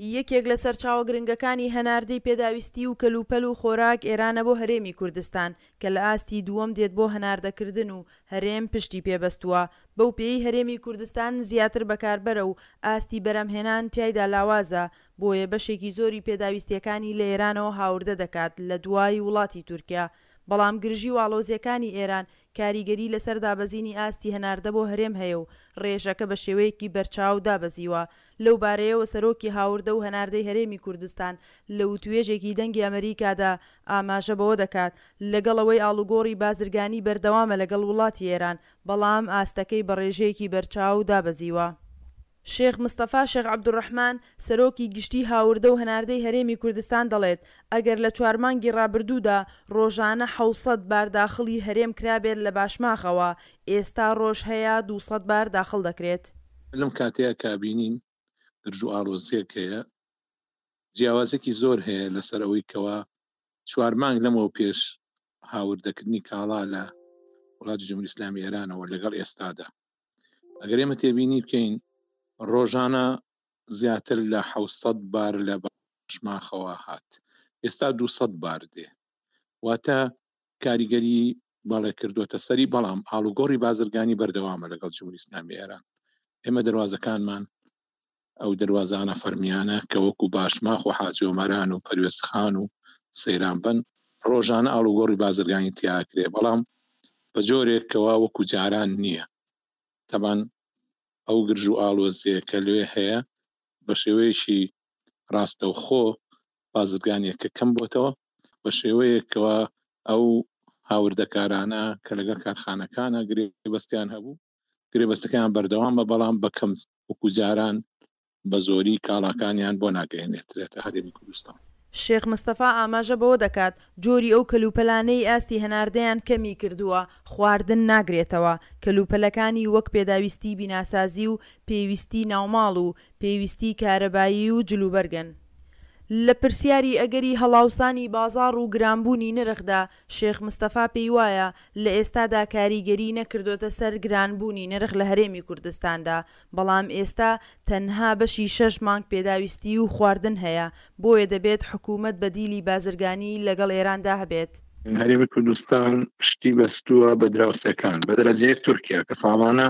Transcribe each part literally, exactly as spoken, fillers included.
یەکێک لە سەرچاوە گرنگەکانی هەناردەی پێداویستی و کەلوپەل و خۆراک ئێرانە بۆ هەرێمی کوردستان کە لە ئاستی دووەم دێت بۆ هەناردەکردن و هەرێم پشتی پێبەستووە، بەو پێیەی هەرێمی کوردستان زیاتر بەکاربەرە و ئاستی بەرهەمهێنان تیایدا لاوازە بۆیە بەشێکی زۆری پێداویستیەکانی لە ئێرانەوە هاوردە دەکات لە دوای وڵاتی تورکیا، بەڵام گرژی و ئاڵۆزیەکانی ئێران کاریگەری لەسەر دابەزینی ئاستی هەناردە بۆ هەرێم هەیە و رێژەکە بە شێوەیەکی بەرچاو دابەزیوە. لەو بارەیەوە سەرۆکی هاوردە و هەناردەی هەرێمی کوردستان لە وتوێژێکی دەنگی ئەمەریکادا ئاماژە بەوە دەکات لەگەڵ ئەوەی ئاڵوگۆڕی بازرگانی بەردەوامە لەگەڵ وڵاتی ئێران بەڵام ئاستەکەی بە ڕێژەیەکی بەرچاو دابەزیوە. شێخ مستەفا شێخ عەبدولڕەحمان، سەرۆکی گشتی هاوردە و هەناردەی هەرێمی کوردستان دەڵێت، ئەگەر لە چوار مانگی ڕابردوودا ڕۆژانە حەوت سەد بار داخڵی هەرێم کرابێت لە باشماخەوە، ئێستا ڕۆژ هەیە دوو سەد بار داخڵ دەکرێت. لەم کاتەیە کە بینین گرژ و ئاڵۆزیەک هەیە، جیاوازێکی زۆر هەیە لەسەر ئەوەی کەوا چوار مانگ لەمەوە پێش هاوردەکردنی کاڵا لە وڵاتی جمهوری ئیسلامی ئێرانەوە لەگەڵ ئێستادا. ئەگەر ئێمە تێبینی بکەین ڕۆژانە زیاتر لە حەوت سەد بار لە باشماخەوە هات، ئێستا دوو سەد بار دێ، واتە کاریگەری بەڵێ کردووەتە سەری، بەڵام ئاڵوگۆڕی بازرگانی بەردەوامە لەگەڵ جمهوری ئیسلامی ئێران. ئێمە دەواازەکانمان ئەو دەواازانە فەرمیانە کە وەکو باشماخ و حاجی ئۆمەران و پەروێزخان و سەیران بن ڕۆژانە ئاڵوگۆڕی بازرگانی تیاکرێ، بەڵام بە جۆرێکەوە وەکو جاران نییە. تەبان ئەو گرژ و ئاڵۆزیە کە لێ هەیە بە شێوەیەکی ڕاستەوخۆ بازرگانیەکە کەم بۆتەوە، بە شێوەیەکەوە ئەو هاوردەکارانە کە لەگەڵ کارخانەکانە گرێبەستیان هەبوو گرێبەستەکەیان بەردەوامە، بەڵام بە کەم وەکو جاران بە زۆری کاڵاکانیان بۆ ناگەیەنێترێتە هەرێمی کوردستان. شێخ مستەفا ئاماژە بەوە دەکات، جۆری ئەو کەلوپەلانەی ئاستی هەناردەیان کەمی کردووە خواردن ناگرێتەوە، کەلوپەلەکانی وەک پێداویستی بیناسازی و پێویستی ناوماڵ و پێویستی کارەبایی و جلوبەرگن. لە پرسیاری ئەگەری هەڵاوسانی بازاڕ و گرانبوونی نرخدا، شێخ مستەفا پێیوایە، لە ئێستادا کاریگەری نەکردۆتە سەر گرانبوونی نرخ لە هەرێمی کوردستاندا، بەڵام ئێستا تەنها بەشی شەش مانگ پێداویستی و خواردن هەیە، بۆیە دەبێت حکومەت بەدیلی بازرگانی لەگەڵ ئێراندا هەبێت. هەرێمی کوردستان پشتی بەستووە بە دراوسێکان، بە دەرەجەیەک تورکیا کە ساڵانە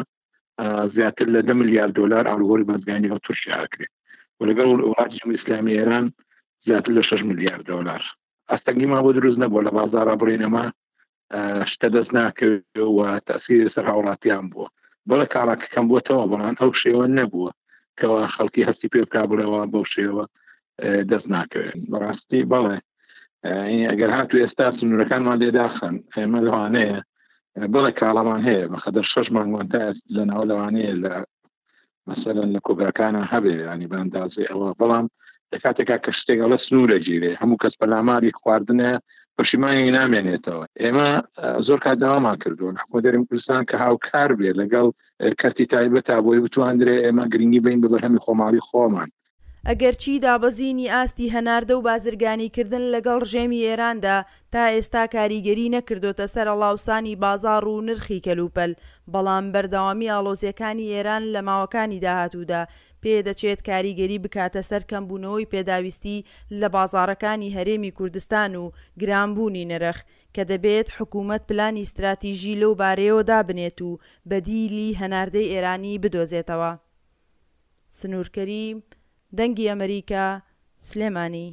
زیاتر لە دە ملیار دلار ئاڵوگۆڕی بازرگانی لەگەڵ تورکیا ئەکرێت و لەگەڵ وڵاتی جمهوری ئیسلامی ئێران زیاتر لە شەش ملیار دلار. ئاستەنگیمان بۆ دروست نەبووە لە بازاڕا بڕینەما شتە دەست ناکەوێت و تەسیری سەر هاوڵاتیان بووە. بەڵێ کاڵاکە کەم بووەتەوە، بەڵام ئەو شێوە نەبووە کەوا خەڵکی هەستی پێ بکا بڵێەوە بەو شێوە دەست ناکەوێت. بەڕاستی بەڵێ ئەگەر هاتو ئێستا سنوورەکانمان لێداخن ئێمە لەوانەیە بەڵێ کاڵامان هەیە بەخەدەر شەش مانگمان تا لەناو لەوانەیە لە مەسەلەن لە کۆگاکانە هەبێ، ینی بە ئەندازەی ئەوە، بەڵام لە کاتێکا کە شتێک ئەڵێ سنوورە گیرێ هەموو کەس پەلاماری خواردنە پەشیمانی نامێنێتەوە. ئێمە زۆر کات داوامان کردووە حکومەتی هەرێمی کوردستان کە هاوکار بێ لەگەڵ کەرتی تایبەتا بۆی بتواندرێ ئێمە گرنگی بین بە بەرهەمی خۆماڵی خۆمان. ئەگەرچی دابەزینی ئاستی هەناردە و بازرگانیکردن لەگەڵ ڕژێمی ئێراندا تا ئێستا کاریگەری نەکردۆتە سەر هەڵاوسانی بازاڕ و نرخی کەلوپەل، بەڵام بەردەوامی ئاڵۆزیەکانی ئێران لە ماوەکانی داهاتوودا پێدەچێت کاریگەری بکاتە سەر کەمبوونەوەی پێداویستی لە بازاڕەکانی هەرێمی کوردستان و گرانبوونی نرخ، کە دەبێت حکومەت پلانی ستراتیژی لەو بارەیەوە دابنێت و بەدیلی هەناردەی ئێرانی بدۆزێتەوە. سنوور کەریم، دەنگی ئەمەریکا، سلێمانی.